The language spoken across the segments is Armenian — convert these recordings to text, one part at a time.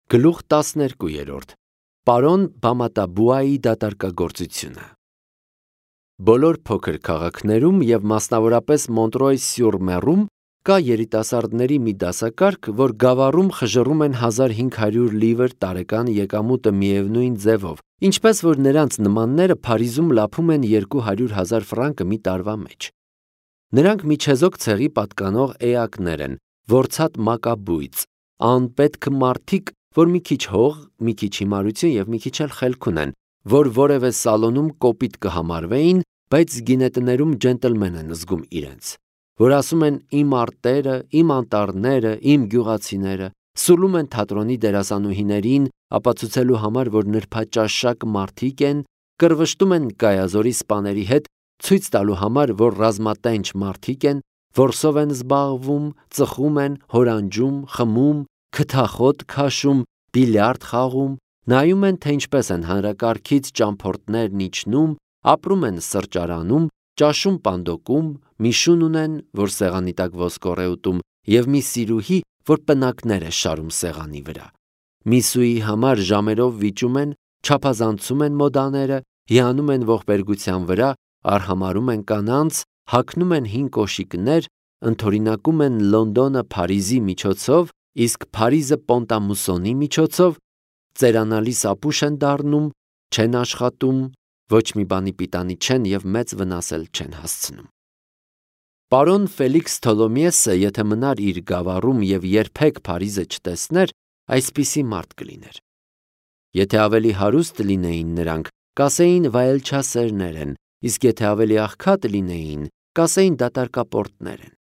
Գլուխ 12 Պարոն Բամատաբուայի դատարկագործությունը Բոլոր փոքր քաղաքներում և մասնավորապես Մոնտրոյ-սյուր-Մեռում կա երիտասարդների մի դասակարգ, որ գավառում խժռում են 1500 լիվր տարեկան եկամուտը միևնույն ձևով, ինչպես որ նրանց նմանները Փարիզում լափում են 200,000 ֆրանկը մի տարվա մեջ։ Նրանք միջեզոք ցեղի պատկանող էակներ են, որցատ մակաբույծ, անպետք մարդիկ, որ մի քիչ հող, մի քիչ հիմարություն և մի քիչ էլ խելք ունեն, որ որևէ սալոնում կոպիտ կհամարվեին, բայց գինետներում ջենտլմեն են զգում իրենց, որ ասում են իմ արտերը, իմ անտառները, իմ գյուղացիները, սուլում են թատրոնի դերասանուհիներին, ապացուցելու համար, որ նրբաճաշակ մարդիկ են, կռվշտում են կայազորի սպաների հետ, ցույց տալու համար, որ ռազմատենչ մարդիկ են, որսով են զբաղվում, ծխում են, հորանջում, խմում, քթախոտ քաշում, բիլիարդ խաղում, նայում են, թե ինչպես են հանրակարգից ճամփորդներն իջնում, ապրում են սրճարանում, ճաշում պանդոկում, մի շուն ունեն, որ սեղանի տակ ոսկոր է ուտում, և մի սիրուհի, որ պնակներ է շարում սեղանի վրա։ Միսուի համար ժամերով վիճում են, չափազանցում են մոդաները, հիանում են ողբերգության վրա, արհամարհում են կանանց, հագնում են հին կոշիկներ, ընդօրինակում են Լոնդոնը Փարիզի միջոցով, իսկ Փարիզը Պոնտամուսոնի միջոցով, ծերանալիս ապուշ են դառնում, չեն աշխատում, ոչ մի բանի պիտանի չեն և մեծ վնաս էլ չեն հասցնում։ Պարոն Ֆելիքս Թոլոմիեսը, եթե մնար իր գավառում և երբեք Փարիզը չտեսներ, այսպիսի մարդ կլիներ։ Եթե ավելի հարուստ լինեին նրանք, կասեին վայելչասերներ են, իսկ եթե ավելի աղքատ լինեին, կասեին դատարկապորտներ են։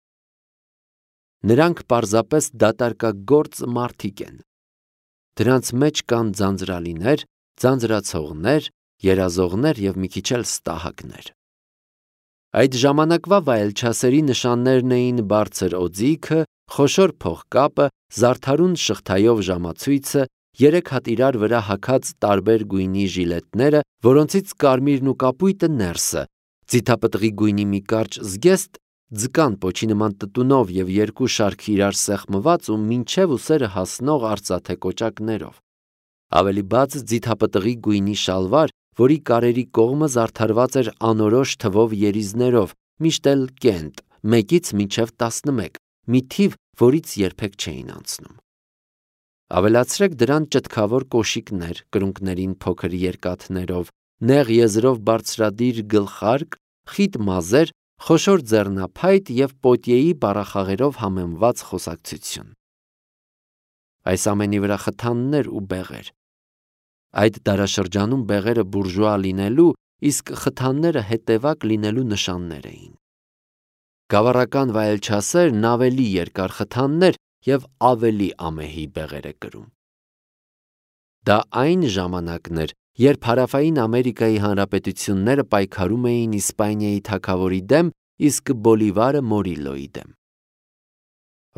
Նրանք պարզապես դատարկագործ մարդիկ են։ Դրանց մեջ կան ձանձրալիներ, ձանձրացողներ, երազողներ և մի քիչ էլ ստահակներ։ Այդ ժամանակվա վայելչասերի նշաններն էին բարձր օձիքը, խոշոր փողկապը, զարդարուն շղթայով ժամացույցը, 3 հատ իրար վրա հագած տարբեր գույնի ժիլետները, որոնցից կարմիրն ու կապույտը ներսը, ձիթապտղի գույնի մի կարճ զգեստ, ձկան պոչի նման տտունով և 2 շարք իրար սեղմված ու մինչև ուսերը հասնող արծաթե կոճակներով։ Ավելի բաց ձիթապտղի գույնի շալվար, որի կարերի կողմը զարդարված էր անորոշ թվով երիզներով, միշտ էլ կենտ, 1-ից մինչև 11, մի թիվ, որից երբեք չէին անցնում։ Ավելացրեք դրան ճտկավոր կոշիկներ, կրունկներին փոքր երկաթներով, նեղ եզրով բարձրադիր գլխարկ, խիտ մազեր, խոշոր ձեռնափայտ և պոտիեի բառախաղերով համեմված խոսակցություն։ Այս ամենի վրա խթաններ ու բեղեր։ Այդ դարաշրջանում բեղերը բուրժուա լինելու, իսկ խթանները հետևակ լինելու նշաններ էին։ Գավառական վայելչասերն ավելի երկար խթաններ և ավելի ամեհի բեղեր է կրում։ Դա այն ժամանակն էր, երբ Հարավային Ամերիկայի հանրապետությունները պայքարում էին Իսպանիայի թագավորի դեմ, իսկ Բոլիվարը Մորիլոյի դեմ։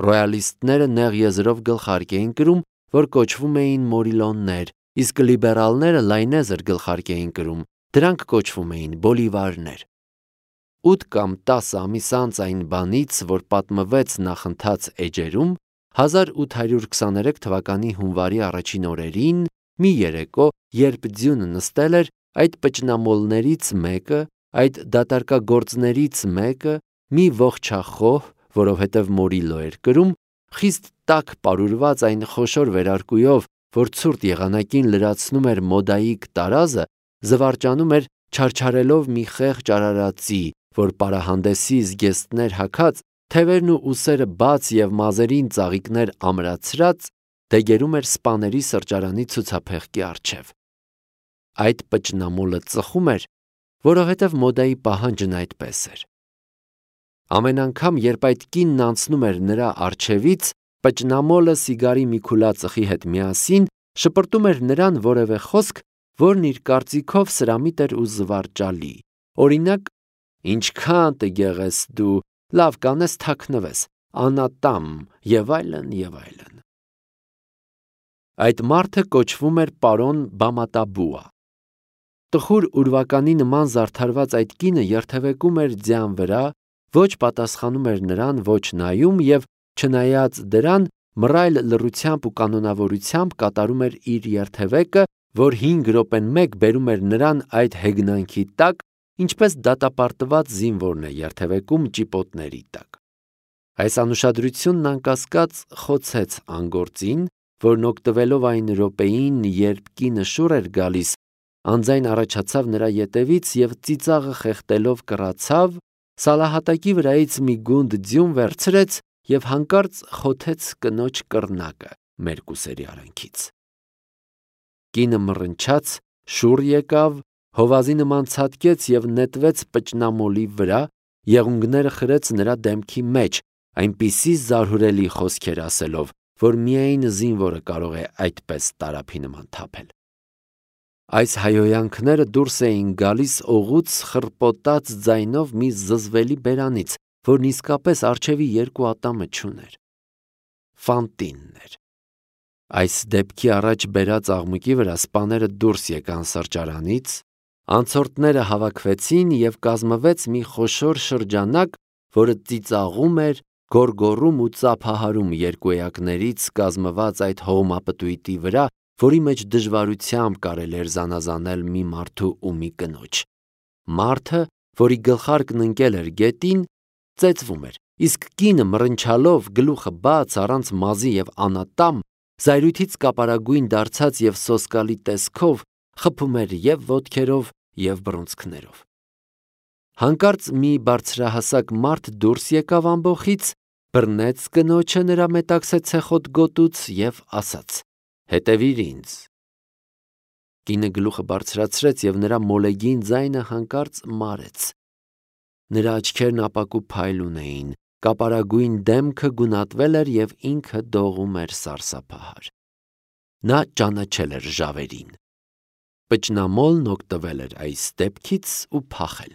Ռոյալիստները նեղ եզրով գլխարկ էին կրում, որ կոչվում էին մորիլոններ, իսկ լիբերալները լայնեզր գլխարկ էին կրում, դրանք կոչվում էին բոլիվարներ։ 8 կամ 10 ամիս անց այն բանից, որ պատմվեց նախընթաց էջերում, 1823 թվականի հունվարի առաջին օրերին, մի երեկո, երբ ձյունը նստել էր, այդ պճնամոլներից մեկը, այդ դատարկագործներից մեկը, մի ողջախոհ, որովհետև Մորիլո էր կրում, խիստ տաք պարուրված այն խոշոր վերարկուով, որ ցուրտ եղանակին լրացնում էր մոդայիկ տարազը, զվարճանում էր չարչարելով մի խեղճ արարածի, որ պարահանդեսի զգեստներ հագած, թևերն ու ուսերը բաց և մազերին ծաղիկներ ամրացրած, դեգերում էր սպաների սրճարանի ցուցափեղկի առջև։ Այդ պճնամոլը ծխում էր, որովհետև մոդայի պահանջն այդպես էր։ Ամեն անգամ, երբ այդ կինն անցնում էր նրա առջևից, պճնամոլը սիգարի մի քուլա ծխի հետ միասին շպրտում էր նրան որևէ խոսք, որն իր կարծիքով սրամիտ էր ու զվարճալի։ Օրինակ, ինչքան տգեղ ես դու, լավ կանես թաքնվես, անատամ և այլն և այլն։ Այդ մարդը կոչվում էր պարոն Բամատաբուա։ Տխուր ուրվականի նման զարդարված այդ կինը երթևեկում էր ձյան վրա, ոչ պատասխանում էր նրան, ոչ նայում և, չնայած դրան, մռայլ լռությամբ ու կանոնավորությամբ կատարում էր իր երթևեկը, որ 5 րոպեն մեկ բերում էր նրան այդ հեգնանքի տակ, ինչպես դատապարտված զինվորն է երթևեկում ճիպոտների տակ։ Այս անուշադրությունն անկասկած խոցեց անգործին, որն օգտվելով այն րոպեին, երբ կինը շուռ էր գալիս, անձայն առաջացավ նրա ետևից և ծիծաղը խեղդելով կռացավ, սալահատակի վրայից մի գունդ ձյուն վերցրեց և հանկարծ խոթեց կնոջ կռնակը մերկուսերի արանքից։ Կինը մռնչաց, շուռ եկավ, հովազի նման ցատկեց և նետվեց պճնամոլի վրա, եղունգները խրեց նրա դեմքի մեջ, այնպիսի զարհուրելի խոսքեր ասելով, որ միայն զինվորը կարող է այդպես տարափի նման թափել։ Այս հայհոյանքները դուրս էին գալիս օղուց խռպոտած ձայնով մի զզվելի բերանից, որն իսկապես առջևի երկու ատամը չուներ։ Ֆանտինն էր։ Այս դեպքի առաջ բերած աղմուկի վրա սպաները դուրս եկան սրճարանից, անցորդները հավաքվեցին և կազմվեց մի խոշոր շրջանակ, որը ծիծաղում էր, գոռգոռում ու ծափահարում երկու կազմված այդ հողմապտույտի վրա, որի մեջ դժվարությամբ կարելի էր զանազանել մի մարդու ու մի կնոջ։ Մարդը, որի գլխարկն ընկել էր գետին, ծեծվում էր, իսկ կինը մռնչալով, գլուխը բաց, առանց մազի և անատամ, զայրույթից կապարագույն դարձած և սոսկալի տեսքով, խփում էր և ոտքերով, և բռունցքներով։ Հանկարծ մի բարձրահասակ մարդ դուրս եկավ ամբոխից, բռնեց կնոջը նրա մետաքսե ցեխոտ գոտուց և ասաց. «Հետևիր ինձ»։ Կինը գլուխը բարձրացրեց և նրա մոլեգին ձայնը հանկարծ մարեց։ Նրա աչքերն ապակու փայլ ունեին, կապարագույն դեմքը գունատվել էր և ինքը դողում էր սարսափահար։ Նա ճանաչել էր ժավերին։ Պճնամոլն օգտվել էր այս դեպքից ու փախել։